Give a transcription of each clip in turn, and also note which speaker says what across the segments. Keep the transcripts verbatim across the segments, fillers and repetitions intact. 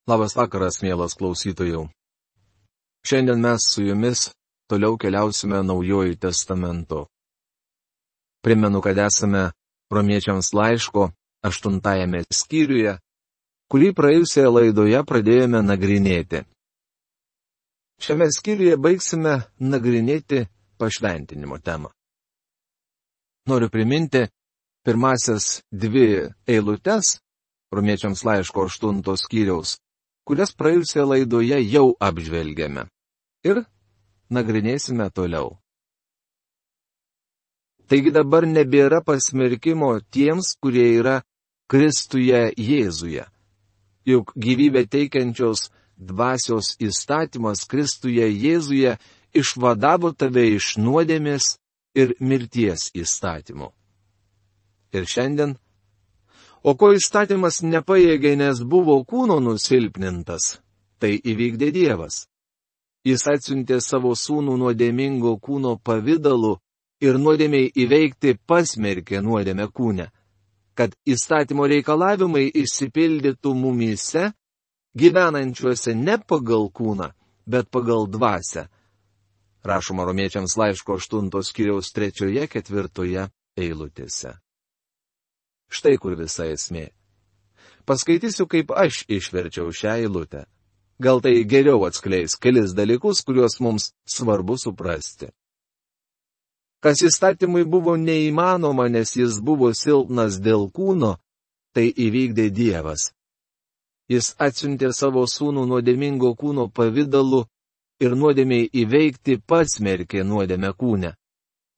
Speaker 1: Labas vakaras, mielas klausytojų. Šiandien mes su jumis toliau keliausime Naujuoju testamentu. Primenu, kad esame Romiečiams laiško aštuntajame skyriuje, kurį praėjusioje laidoje pradėjome nagrinėti. Šiame skyriuje baigsime nagrinėti pašventinimo temą. Noriu priminti pirmasias dvi eilutes Romiečiams laiško aštunto skyriaus, kurias praėjusioje laidoje jau apžvelgėme. Ir nagrinėsime toliau. Taigi dabar nebėra pasmerkimo tiems, kurie yra Kristuje Jėzuje. Juk gyvybę teikiančios dvasios įstatymas Kristuje Jėzuje išvadavo tave iš nuodėmės ir mirties įstatymų. Ir šiandien, o ko įstatymas nepajėgė, nes buvo kūno nusilpnintas, tai įvykdė Dievas. Jis atsiuntė savo sūnų nuodėmingo kūno pavidalu ir nuodėmiai įveikti pasmerkė nuodėmę kūne, kad įstatymo reikalavimai išsipildytų mumyse, gyvenančiuose ne pagal kūną, bet pagal dvasią. Rašoma Romiečiams laiško aštuntos skyriaus trečioje, ketvirtoje eilutėse. Štai kur visa esmė. Paskaitysiu, kaip aš išverčiau šią eilutę. Gal tai geriau atskleis kelis dalykus, kuriuos mums svarbu suprasti. Kas įstatymui buvo neįmanoma, nes jis buvo silpnas dėl kūno, tai įvykdė Dievas. Jis atsiuntė savo sūnų nuodėmingo kūno pavidalu ir nuodėmiai įveikti pasmerkė nuodėmę kūne,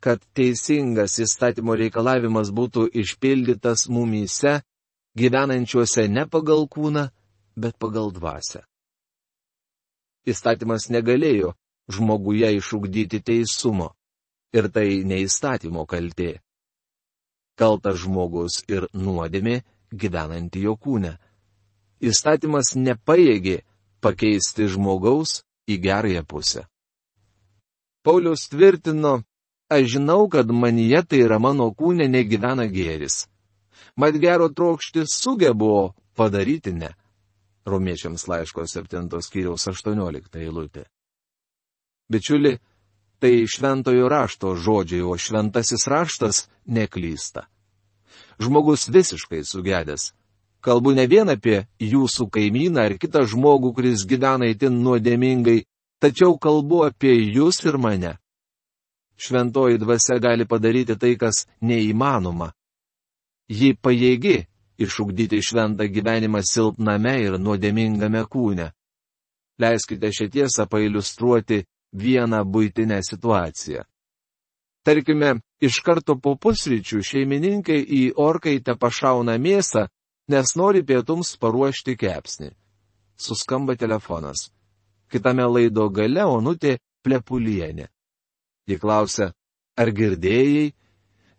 Speaker 1: kad teisingas įstatymo reikalavimas būtų išpildytas mumyse, gyvenančiuose ne pagal kūną, bet pagal dvasią. Įstatymas negalėjo žmoguje išugdyti teisumo, ir tai ne įstatymo kaltė. Kaltas žmogus ir nuodėmė gyvenanti jo kūne. Įstatymas nepajėgė pakeisti žmogaus į gerąją pusę. Paulius tvirtino, aš žinau, kad manyje, tai yra mano kūne, negyvena gėris. Mat gero trokšti sugebu padaryti ne. Romiečiams laiško septintos skyriaus aštuoniolikta eilutė. Bičiuli, tai šventojo rašto žodžiai, o šventasis raštas neklysta. Žmogus visiškai sugedęs. Kalbu ne vien apie jūsų kaimyną ar kitą žmogų, kuris gyvena itin nuodėmingai, tačiau kalbu apie jūs ir mane. Šventoji dvasia gali padaryti tai, kas neįmanoma. Ji pajėgi išugdyti šventą gyvenimą silpname ir nuodėmingame kūne. Leiskite šią tiesą pailiustruoti vieną buitinę situaciją. Tarkime, iš karto po pusryčių šeimininkai į orkaitę pašauna mėsą, nes nori pietums paruošti kepsnį. Suskamba telefonas. Kitame laido gale Onutė Plepulienė. Ji klausia, ar girdėjai?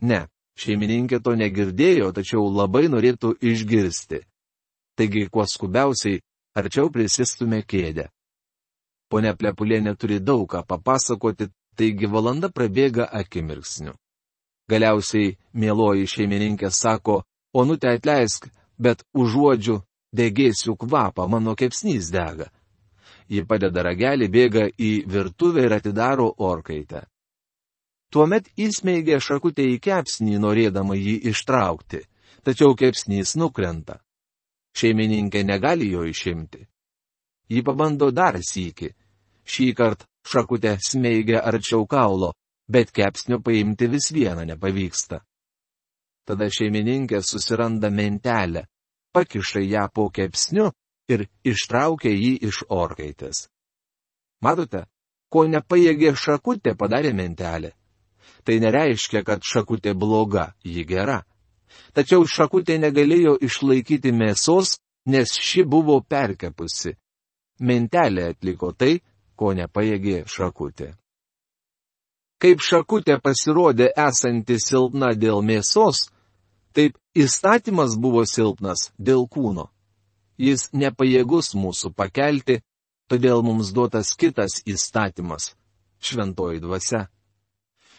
Speaker 1: Ne. Šeimininkė to negirdėjo, tačiau labai norėtų išgirsti. Taigi, kuo skubiausiai, arčiau prisistumė kėdę. Ponia Plepulienė turi daug ką papasakoti, taigi valanda prabėga akimirksniu. Galiausiai mieloji šeimininkė sako, Onutė atleisk, bet užuodžiu degėsių kvapą, mano kepsnys dega. Ji padeda ragelį, bėga į virtuvę ir atidaro orkaitę. Tuomet įsmeigė šakutę į kepsnį, norėdama jį ištraukti, tačiau kepsnys nukrenta. Šeimininkė negali jo išimti. Ji pabando dar sykį. Šį kartą šakutę smeigia arčiau kaulo, bet kepsnio paimti vis viena nepavyksta. Tada šeimininkė susiranda mentelę, pakiša ją po kepsniu ir ištraukia jį iš orkaitės. Matote, ko nepajėgė šakutė, padarė mentelė. Tai nereiškia, kad šakutė bloga, ji gera. Tačiau šakutė negalėjo išlaikyti mėsos, nes ši buvo perkepusi. Mentelė atliko tai, ko nepajėgė šakutė. Kaip šakutė pasirodė esanti silpna dėl mėsos, taip įstatymas buvo silpnas dėl kūno. Jis nepajėgus mūsų pakelti, todėl mums duotas kitas įstatymas - šventoji dvasia.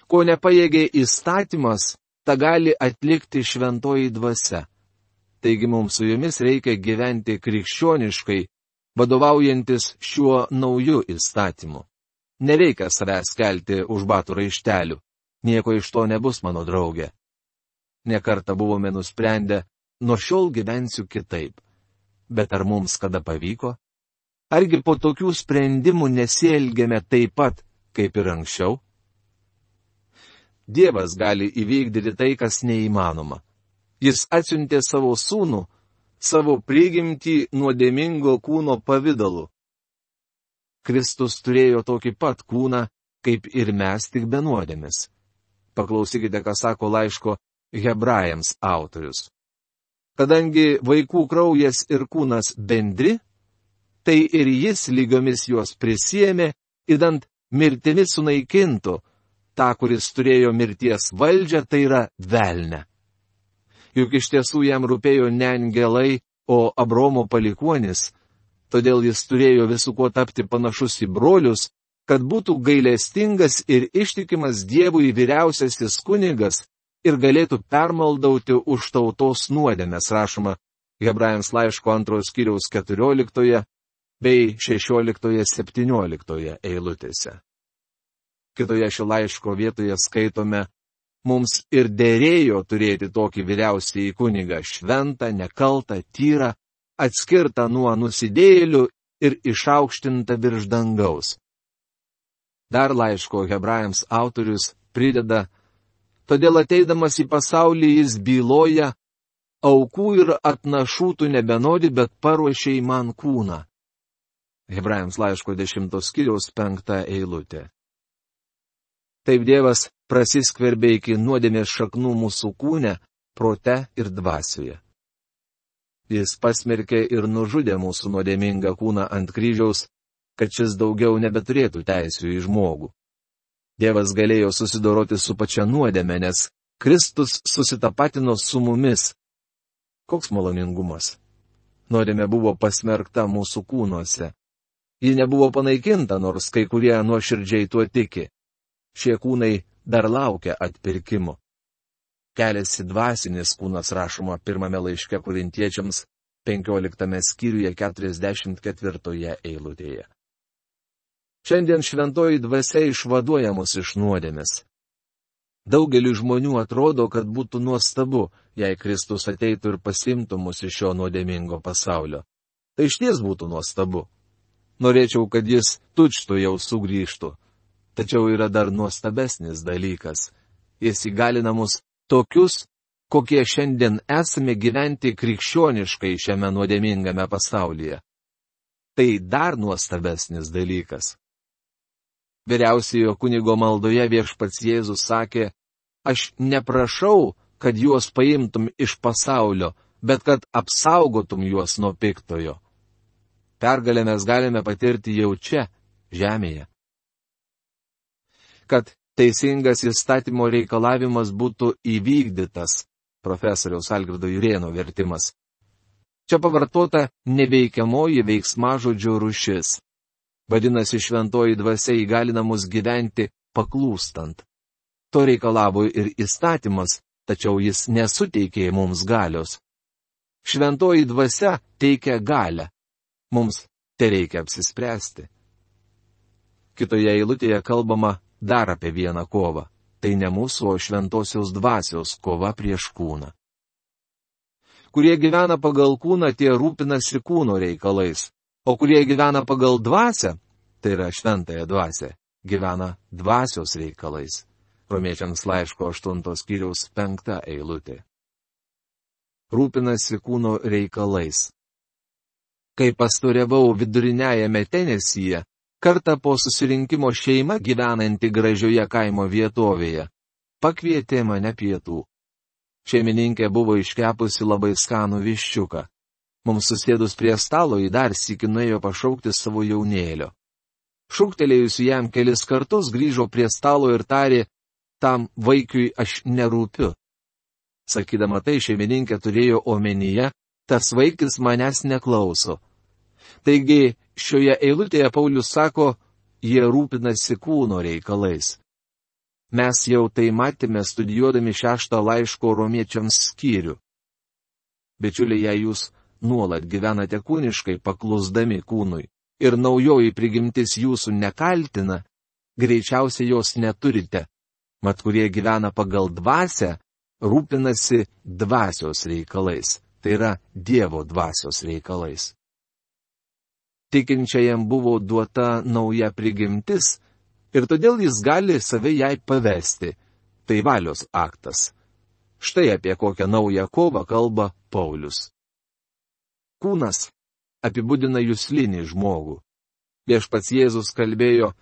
Speaker 1: Ko nepajėgė įstatymas, tą gali atlikti šventoji dvasia. Taigi mums su jumis reikia gyventi krikščioniškai, vadovaujantis šiuo nauju įstatymu. Nereikia savęs kelti už batų raištelių. Nieko iš to nebus, mano draugė. Nekartą buvome nusprendę, nuo šiol gyvensiu kitaip. Bet ar mums kada pavyko? Argi po tokių sprendimų nesielgėme taip pat, kaip ir anksčiau? Dievas gali įvykdyti tai, kas neįmanoma. Jis atsiuntė savo sūnų, savo prigimtį nuodėmingo kūno pavidalu. Kristus turėjo tokį pat kūną, kaip ir mes, tik be nuodėmės. Paklausykite, ką sako laiško Hebrajams autorius. Kadangi vaikų kraujas ir kūnas bendri, tai ir jis lygiomis juos prisiėmė, idant mirtimi sunaikintų tą, kuris turėjo mirties valdžią, tai yra velnę. Juk iš tiesų jam rūpėjo ne angelai, o Abraomo palikuonis, todėl jis turėjo visų kuo tapti panašus į brolius, kad būtų gailestingas ir ištikimas Dievui vyriausiasis kunigas ir galėtų permaldauti už tautos nuodėmes, rašoma Hebrajams laiško antrojo skyriaus keturioliktoje bei šešioliktoje septynioliktoje eilutėse. Kitoje šio laiško vietoje skaitome, mums ir dėrėjo turėti tokį vyriausiąjį kunigą, šventą, nekaltą, tyrą, atskirtą nuo nusidėjėlių ir išaukštintą virš dangaus. Dar laiško Hebrajams autorius prideda, todėl ateidamas į pasaulį jis byloja, aukų ir atnašų tu nebenori, bet paruošei man kūną. Hebrajams laiško dešimtos skyriaus penkta eilutė. Taip Dievas prasiskverbė iki nuodėmės šaknų mūsų kūne, prote ir dvasioje. Jis pasmerkė ir nužudė mūsų nuodėmingą kūną ant kryžiaus, kad šis daugiau nebeturėtų teisių į žmogų. Dievas galėjo susidoroti su pačia nuodėme, nes Kristus susitapatino su mumis. Koks maloningumas! Nuodėmė buvo pasmerkta mūsų kūnuose. Ji nebuvo panaikinta, nors kai kurie nuoširdžiai tuo tiki. Šie kūnai dar laukia atpirkimo. Keliasi dvasinis kūnas, rašoma pirmame laiške Korintiečiams penkioliktame skyriuje keturiasdešimt ketvirtoje eilutėje. Šiandien šventoji dvasia išvaduoja mus iš nuodėmės. Daugeliu žmonių atrodo, kad būtų nuostabu, jei Kristus ateitų ir pasimtų mus iš šio nuodėmingo pasaulio. Tai išties būtų nuostabu. Norėčiau, kad jis tučtų jau sugrįžtų. Tačiau yra dar nuostabesnis dalykas. Jis įgalina mus tokius, kokie šiandien esame gyventi krikščioniškai šiame nuodėmingame pasaulyje. Tai dar nuostabesnis dalykas. Vyriausiojo kunigo maldoje viešpats Jėzus sakė, aš neprašau, kad juos paimtum iš pasaulio, bet kad apsaugotum juos nuo piktojo. Pergalę mes galime patirti jau čia, žemėje. Kad teisingas įstatymo reikalavimas būtų įvykdytas, profesoriaus Algirdo Jurėno vertimas. Čia pavartota neveikiamoji veiksmažodžio rūšis. Vadinasi, šventoji dvasia įgalina mus gyventi paklūstant. To reikalavo ir įstatymas, tačiau jis nesuteikė mums galios. Šventoji dvasia teikia galią. Mums tereikia apsispręsti. Kitoje eilutėje kalbama dar apie vieną kovą. Tai ne mūsų, o šventosios dvasios kova prieš kūną. Kurie gyvena pagal kūną, tie rūpinasi kūno reikalais. O kurie gyvena pagal dvasią, tai yra šventąją dvasią, gyvena dvasios reikalais. Romiečiams laiško aštuntos skyriaus penkta eilutė. Rūpinasi kūno reikalais. Kai pastoriavau viduriniajame Tenesyje, kartą po susirinkimo šeima gyvenanti gražioje kaimo vietovėje pakvietė mane pietų. Šeimininkė buvo iškepusi labai skanų viščiuką. Mums susėdus prie stalo į dar sykį nuėjo pašaukti savo jaunėlio. Šūktelėjusi jam kelis kartus grįžo prie stalo ir tarė, tam vaikiui aš nerūpiu. Sakydama tai, šeimininkė turėjo omenyje, tas vaikis manęs neklauso. Taigi, šioje eilutėje Paulius sako, jie rūpinasi kūno reikalais. Mes jau tai matėme studijuodami šeštą laiško romiečiams skyrių. Bičiuliai, jei jūs nuolat gyvenate kūniškai paklusdami kūnui ir naujoji prigimtis jūsų nekaltina, greičiausiai jos neturite, mat kurie gyvena pagal dvasią, rūpinasi dvasios reikalais, tai yra Dievo dvasios reikalais. Tikinčiajam buvo duota nauja prigimtis ir todėl jis gali save jai pavesti, tai valios aktas. Štai apie kokią naują kovą kalba Paulius. Kūnas apibūdina juslinį žmogų. Viešpats Jėzus kalbėjo,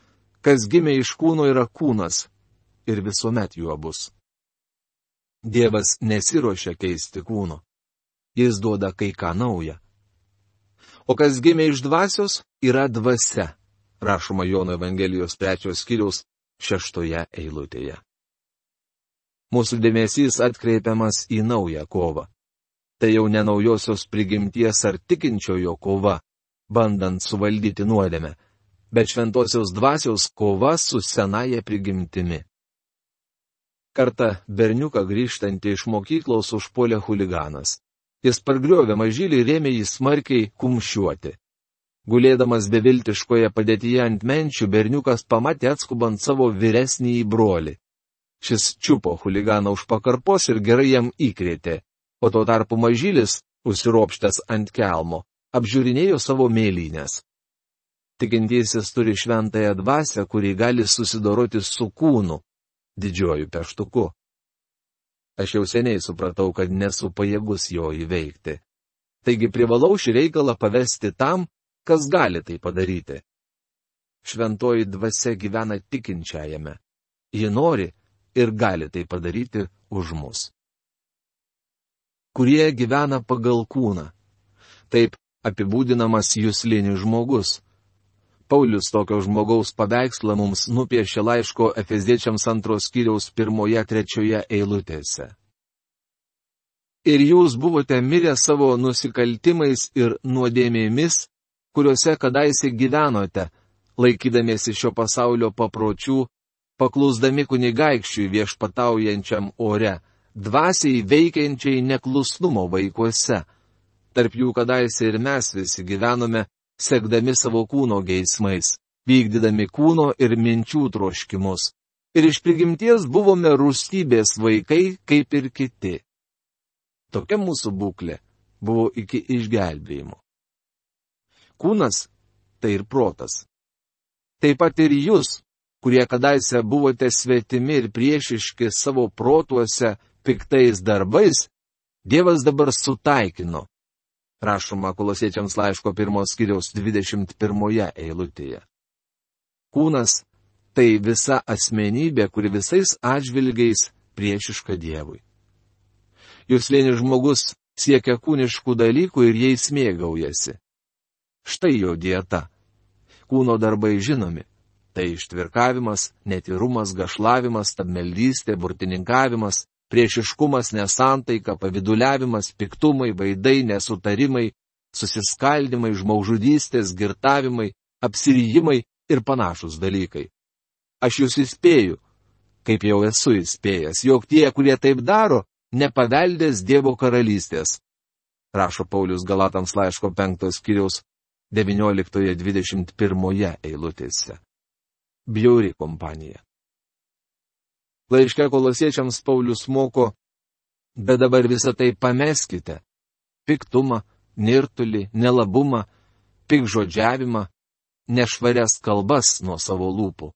Speaker 1: kas gimė iš kūno yra kūnas ir visuomet juo bus. Dievas nesiruošia keisti kūno. Jis duoda kai ką naują. O kas gimė iš dvasios yra dvasia, rašoma Jono Evangelijos trečios skyriaus šeštoje eilutėje. Mūsų dėmesys atkreipiamas į naują kovą. Tai jau ne naujosios prigimties ar tikinčiojo kova, bandant suvaldyti nuodėmę, bet šventosios dvasios kova su senaja prigimtimi. Kartą berniuką grįžtantį iš mokyklos užpuolė chuliganas. Jis pargriovė mažylį ir ėmė jį smarkiai kumščiuoti. Gulėdamas beviltiškoje padėtyje ant menčių, berniukas pamatė atskubant savo vyresnįjį brolį. Šis čiupo chuliganą už pakarpos ir gerai jam įkrėtė, o tuo tarpu mažylis, užsiropštęs ant kelmo, apžiūrinėjo savo mėlynės. Tikintysis turi šventąją dvasią, kuri gali susidoroti su kūnu, didžiuoju peštuku. Aš jau seniai supratau, kad nesu pajėgus jo įveikti. Taigi privalau šį reikalą pavesti tam, kas gali tai padaryti. Šventoji dvasia gyvena tikinčiajame. Ji nori ir gali tai padaryti už mus. Kurie gyvena pagal kūną. Taip apibūdinamas juslinis žmogus. Paulius tokio žmogaus paveikslą mums nupiešė laiško Efeziečiams antros skyriaus pirmoje trečioje eilutėse. Ir jūs buvote mirę savo nusikaltimais ir nuodėmėmis, kuriuose kadaise gyvenote, laikydamiesi šio pasaulio papročių, paklusdami kunigaikščiui viešpataujančiam ore, dvasiai veikiančiai neklusnumo vaikuose. Tarp jų kadaise ir mes visi gyvenome, sekdami savo kūno geismais, vykdydami kūno ir minčių troškimus. Ir iš prigimties buvome rūstybės vaikai, kaip ir kiti. Tokia mūsų būklė buvo iki išgelbėjimo. Kūnas tai ir protas. Taip pat ir jūs, kurie kadaise buvote svetimi ir priešiški savo protuose piktais darbais, Dievas dabar sutaikino. Rašoma Kolosiečiams laiško pirmos skyriaus dvidešimt pirmoje eilutėje. Kūnas tai visa asmenybė, kuri visais atžvilgiais priešiška Dievui. Juslinis žmogus siekia kūniškų dalykų ir jais mėgaujasi. Štai jo dieta. Kūno darbai žinomi. Tai ištvirkavimas, netyrumas, gašlavimas, stabmeldystė, burtininkavimas, priešiškumas, nesantaika, paviduliavimas, piktumai, vaidai, nesutarimai, susiskaldimai, žmogžudystės, girtavimai, apsirijimai ir panašus dalykai. Aš jūs įspėju, kaip jau esu įspėjęs, jog tie, kurie taip daro, nepaveldės Dievo karalystės. Rašo Paulius Galatams laiško penktos skyriaus devynioliktoje dvidešimt pirmoje eilutėse. Bjauri kompanija. Laiške Kolosiečiams Paulius moko, bet dabar visą tai pameskite. Piktumą, nirtulį, nelabumą, pikžodžiavimą, nešvarias kalbas nuo savo lūpų.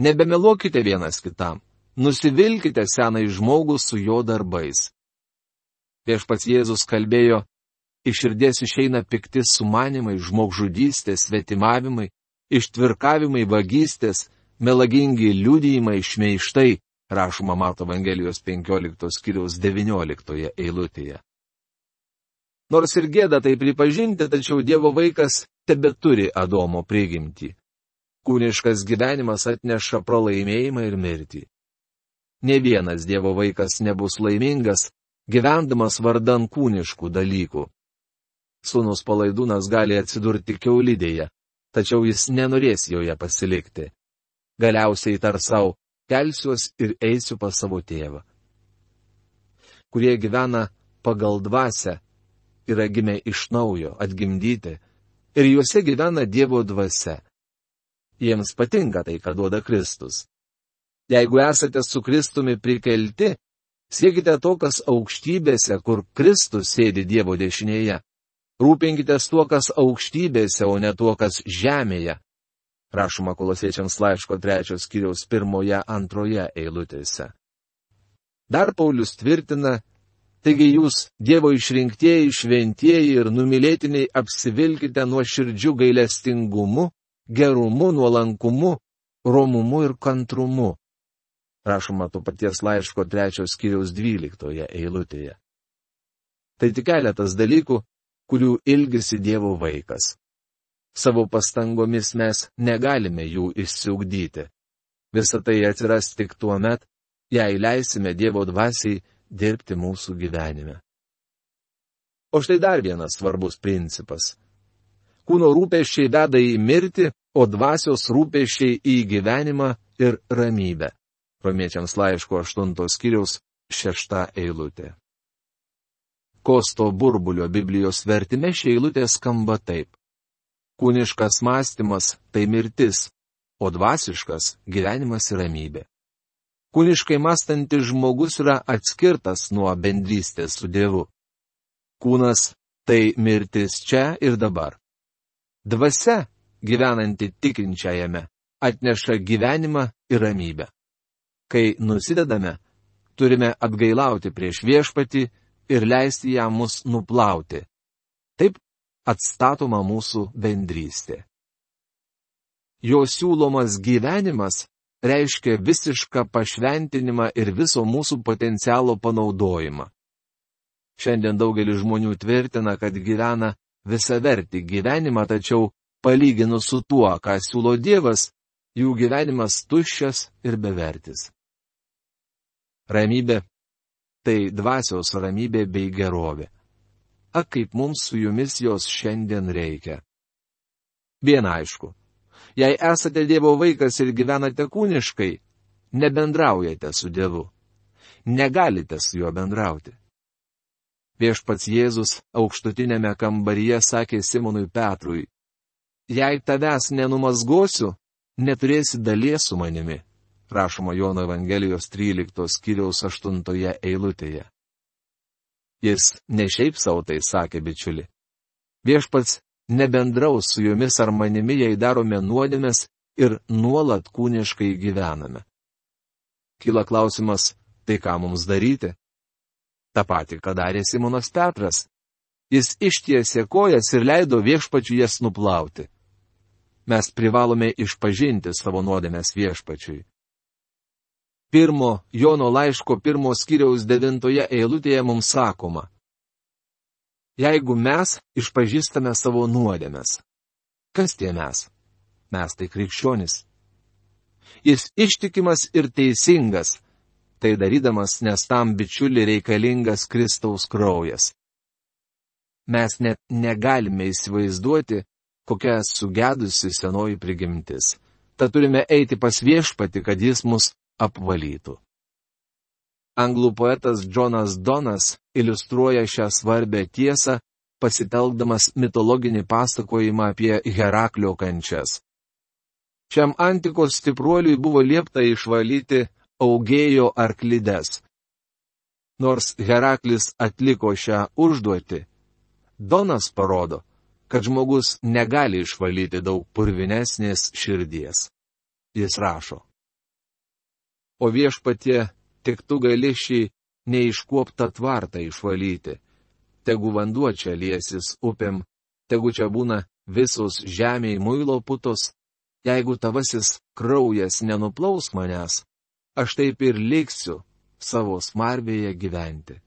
Speaker 1: Nebemeluokite vienas kitam, nusivilkite senai žmogų su jo darbais. Viešpats Jėzus kalbėjo, iš širdies išeina pikti sumanimai, žmogžudystės, svetimavimai, ištvirkavimai, vagystės, melagingi liudijimai, šmeižtai, rašoma Mato Evangelijos penkioliktos skyriaus devynioliktoje eilutėje. Nors ir gėda tai pripažinti, tačiau Dievo vaikas tebeturi Adomo prigimtį. Kūniškas gyvenimas atneša pralaimėjimą ir mirtį. Ne vienas Dievo vaikas nebus laimingas, gyvendamas vardan kūniškų dalykų. Sūnus palaidūnas gali atsidurti kiaulidėje, tačiau jis nenorės joje pasilikti. Galiausiai tar savo, kelsiuos ir eisiu pas savo tėvą. Kurie gyvena pagal dvasią, yra gimę iš naujo, atgimdyti, ir juose gyvena Dievo dvasia. Jiems patinka tai, ką duoda Kristus. Jeigu esate su Kristumi prikelti, siekite to, kas aukštybėse, kur Kristus sėdi Dievo dešinėje. Rūpinkitės tuo, kas aukštybėse, o ne tuo, kas žemėje. Rašoma Kolosiečiams laiško trečios skyriaus pirmoje, antroje eilutėse. Dar Paulius tvirtina, taigi jūs, Dievo išrinktieji, šventieji ir numylėtiniai, apsivilkite nuoširdžiu gailestingumu, gerumu, nuolankumu, romumu ir kantrumu. Rašoma to paties laiško trečios skyriaus dvyliktoje eilutėje. Tai tik keletas dalykų, kurių ilgisi Dievo vaikas. Savo pastangomis mes negalime jų išsiugdyti. Visa tai atsiras tik tuo met, jei leisime Dievo dvasiai dirbti mūsų gyvenime. O štai dar vienas svarbus principas. Kūno rūpesčiai veda į mirtį, o dvasios rūpesčiai į gyvenimą ir ramybę. Romiečiams laiško aštuntos skyriaus šešta eilutė. Kosto Burbulio Biblijos vertime ši eilutė skamba taip. Kūniškas mąstymas tai mirtis, o dvasiškas gyvenimas ir ramybė. Kūniškai mąstantis žmogus yra atskirtas nuo bendrystės su Dievu. Kūnas tai mirtis čia ir dabar. Dvasia, gyvenanti tikinčiajame, atneša gyvenimą ir ramybę. Kai nusidedame, turime atgailauti prieš viešpatį ir leisti jam mus nuplauti. Taip atstatoma mūsų bendrystė. Jo siūlomas gyvenimas reiškia visišką pašventinimą ir viso mūsų potencialo panaudojimą. Šiandien daugelis žmonių tvirtina, kad gyvena visavertį gyvenimą, tačiau palyginus su tuo, ką siūlo Dievas, jų gyvenimas tuščias ir bevertis. Ramybė – tai dvasios ramybė bei gerovė. Ak, kaip mums su jumis jos šiandien reikia. Viena aišku. Jei esate Dievo vaikas ir gyvenate kūniškai, nebendraujate su Dievu. Negalite su juo bendrauti. Viešpats Jėzus aukštutinėme kambaryje sakė Simonui Petrui, jei tavęs nenumazgosiu, neturėsi dalies su manimi. Rašoma Jono Evangelijos tryliktos skyriaus aštuntoje eilutėje. Jis ne šiaip savo tai sakė, bičiuli. Viešpats nebendraus su jumis ar manimi, jei darome nuodėmes ir nuolat kūniškai gyvename. Kyla klausimas, tai ką mums daryti? Ta pati, ką darė Simonas Petras. Jis ištiesė kojas ir leido viešpačiui jas nuplauti. Mes privalome išpažinti savo nuodėmes viešpačiui. Pirmo Jono laiško pirmo skyriaus devintoje eilutėje mums sakoma, jeigu mes išpažįstame savo nuodėmes. Kas tie mes? Mes tai krikščionys. Jis ištikimas ir teisingas, tai darydamas, nes tam bičiuli reikalingas Kristaus kraujas. Mes net negalime įsivaizduoti, kokia sugedusi senoji prigimtis. Tad turime eiti pas viešpatį, kad jis mus apvalytų. Anglų poetas Džonas Donas iliustruoja šią svarbę tiesą, pasitelkdamas mitologinį pasakojimą apie Heraklio kančias. Šiam antikos stipruoliui buvo liepta išvalyti Augėjo arklides. Nors Heraklis atliko šią užduotį, Donas parodo, kad žmogus negali išvalyti daug purvinesnės širdies. Jis rašo. O viešpatie, tik tu gali šį neiškuoptą tvartą išvalyti. Tegu vanduo čia liesis upėm, tegu čia būna visos žemėj muilo putos, jeigu tavasis kraujas nenuplaus manęs, aš taip ir liksiu savo smarvėje gyventi.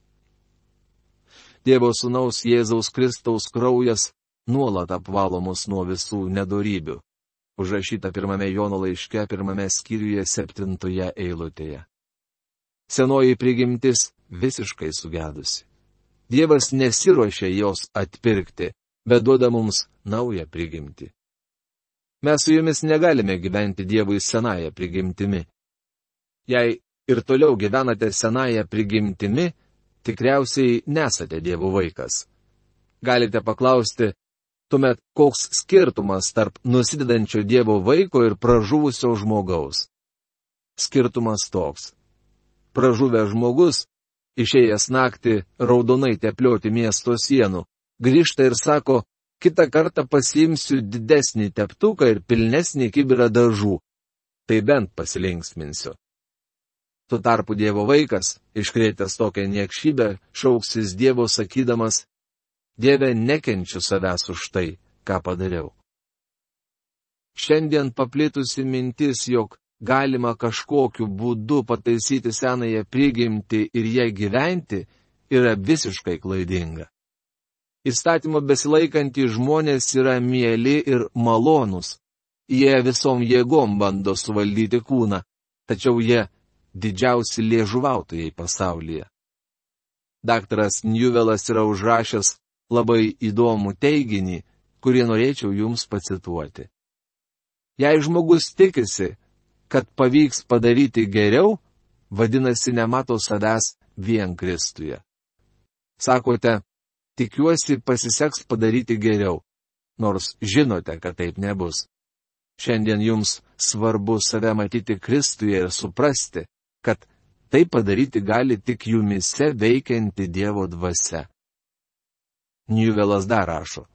Speaker 1: Dievo sūnaus Jėzaus Kristaus kraujas nuolat apvalo mus nuo visų nedorybių. Užrašyta pirmame Jono laiške, pirmame skyriuje, septintoje eilutėje. Senoji prigimtis visiškai sugedusi. Dievas nesiruošia jos atpirkti, bet duoda mums naują prigimtį. Mes su jumis negalime gyventi Dievui senąją prigimtimi. Jei ir toliau gyvenate senąją prigimtimi, tikriausiai nesate Dievo vaikas. Galite paklausti, tuomet koks skirtumas tarp nusidedančio Dievo vaiko ir pražuvusio žmogaus? Skirtumas toks. Pražuvęs žmogus, išėjęs naktį raudonai teplioti miesto sienų, grįžta ir sako, kitą kartą pasiimsiu didesnį teptuką ir pilnesnį kibirą dažų. Tai bent pasilinksminsiu. Tuo tarpu Dievo vaikas, iškrėtęs tokią niekšybę, šauksis Dievo sakydamas, Dieve, nekenčiu savęs už tai, ką padariau. Šiandien paplitusi mintis, jog galima kažkokiu būdu pataisyti senąją prigimtį ir ją gyventi, yra visiškai klaidinga. Įstatymo besilaikantys žmonės yra mieli ir malonūs. Jie visom jėgom bando suvaldyti kūną, tačiau jie didžiausi liežuvautojai pasaulyje. Daktaras Newellas yra užrašęs labai įdomų teiginį, kurį norėčiau jums pacituoti. Jei žmogus tikisi, kad pavyks padaryti geriau, vadinasi nemato savęs vien Kristuje. Sakote, tikiuosi pasiseks padaryti geriau, nors žinote, kad taip nebus. Šiandien jums svarbu save matyti Kristuje ir suprasti, kad tai padaryti gali tik jumise veikianti Dievo dvasia. Newellas dar rašo.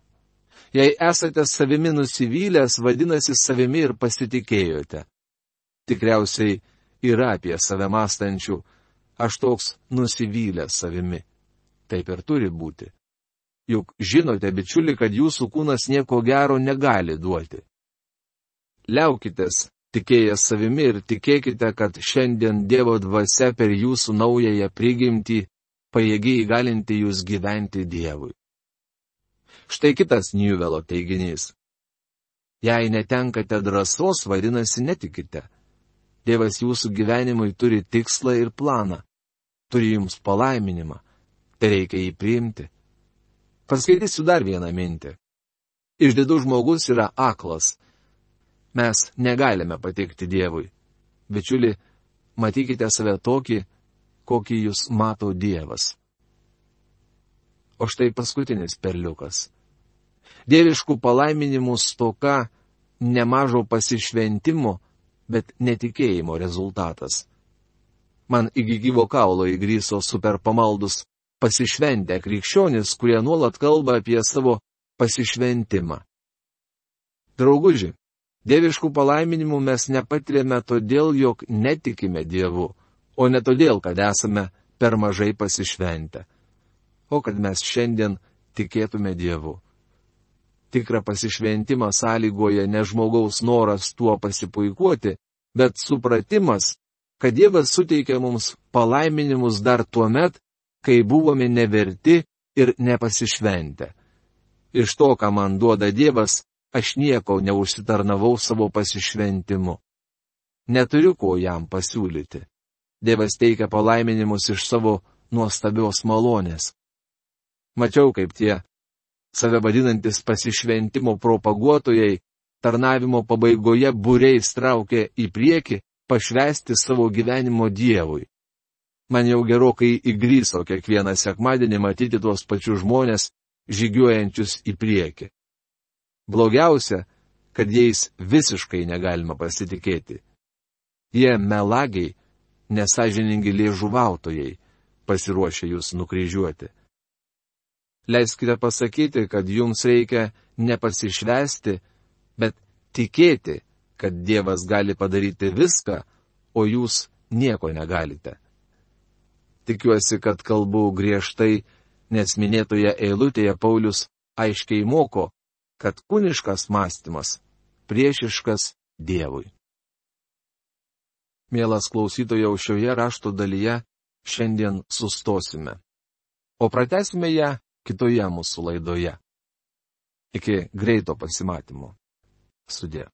Speaker 1: Jei esate savimi nusivylęs, vadinasi savimi ir pasitikėjote. Tikriausiai yra apie save mąstančių, aš toks nusivylęs savimi. Taip ir turi būti. Juk žinote, bičiuli, kad jūsų kūnas nieko gero negali duoti. Liaukitės tikėjęs savimi ir tikėkite, kad šiandien Dievo dvasia per jūsų naująją prigimtį pajėgiai įgalinti jūs gyventi Dievui. Štai kitas Newello teiginys. Jei netenkate drąsos, vadinasi netikite. Dievas jūsų gyvenimui turi tikslą ir planą. Turi jums palaiminimą. Tai reikia jį priimti. Paskaitysiu dar vieną mintį. Išdidus žmogus yra aklas. Mes negalime patikti Dievui. Bičiuli, matykite save tokį, kokį jūs mato Dievas. O štai paskutinis perliukas. Dieviškų palaiminimų stoka nemažo pasišventimo, bet netikėjimo rezultatas. Man iki gyvo kaulo įgryso super pamaldus pasišventę krikščionis, kurie nuolat kalba apie savo pasišventimą. Drauguži, dieviškų palaiminimų mes nepatiriame todėl, jog netikime Dievu, o ne todėl, kad esame per mažai pasišventę, o kad mes šiandien tikėtume Dievu. Tikrą pasišventimą sąlygoja ne žmogaus noras tuo pasipuikuoti, bet supratimas, kad Dievas suteikia mums palaiminimus dar tuo met, kai buvome neverti ir nepasišventę. Iš to, ką man duoda Dievas, aš nieko neužsitarnavau savo pasišventimu. Neturiu ko jam pasiūlyti. Dievas teikia palaiminimus iš savo nuostabios malonės. Mačiau, kaip tie save vadinantis pasišventimo propaguotojai tarnavimo pabaigoje būriais traukė į priekį pašvęsti savo gyvenimo Dievui. Man jau gerokai įgryso kiekvieną sekmadienį matyti tuos pačius žmonės žygiuojančius į priekį. Blogiausia, kad jais visiškai negalima pasitikėti. Jie melagiai, nesąžiningi liežuvautojai, pasiruošę jūs nukryžiuoti. Leiskite pasakyti, kad jums reikia nepasišvęsti, bet tikėti, kad Dievas gali padaryti viską, o jūs nieko negalite. Tikiuosi, kad kalbu griežtai, nes minėtoje eilutėje Paulius aiškiai moko, kad kūniškas mąstymas priešiškas Dievui. Mielas klausytojau, šioje rašto dalyje šiandien sustosime, o pratęsime ją kitoje mūsų laidoje. Iki greito pasimatymo. Sudie.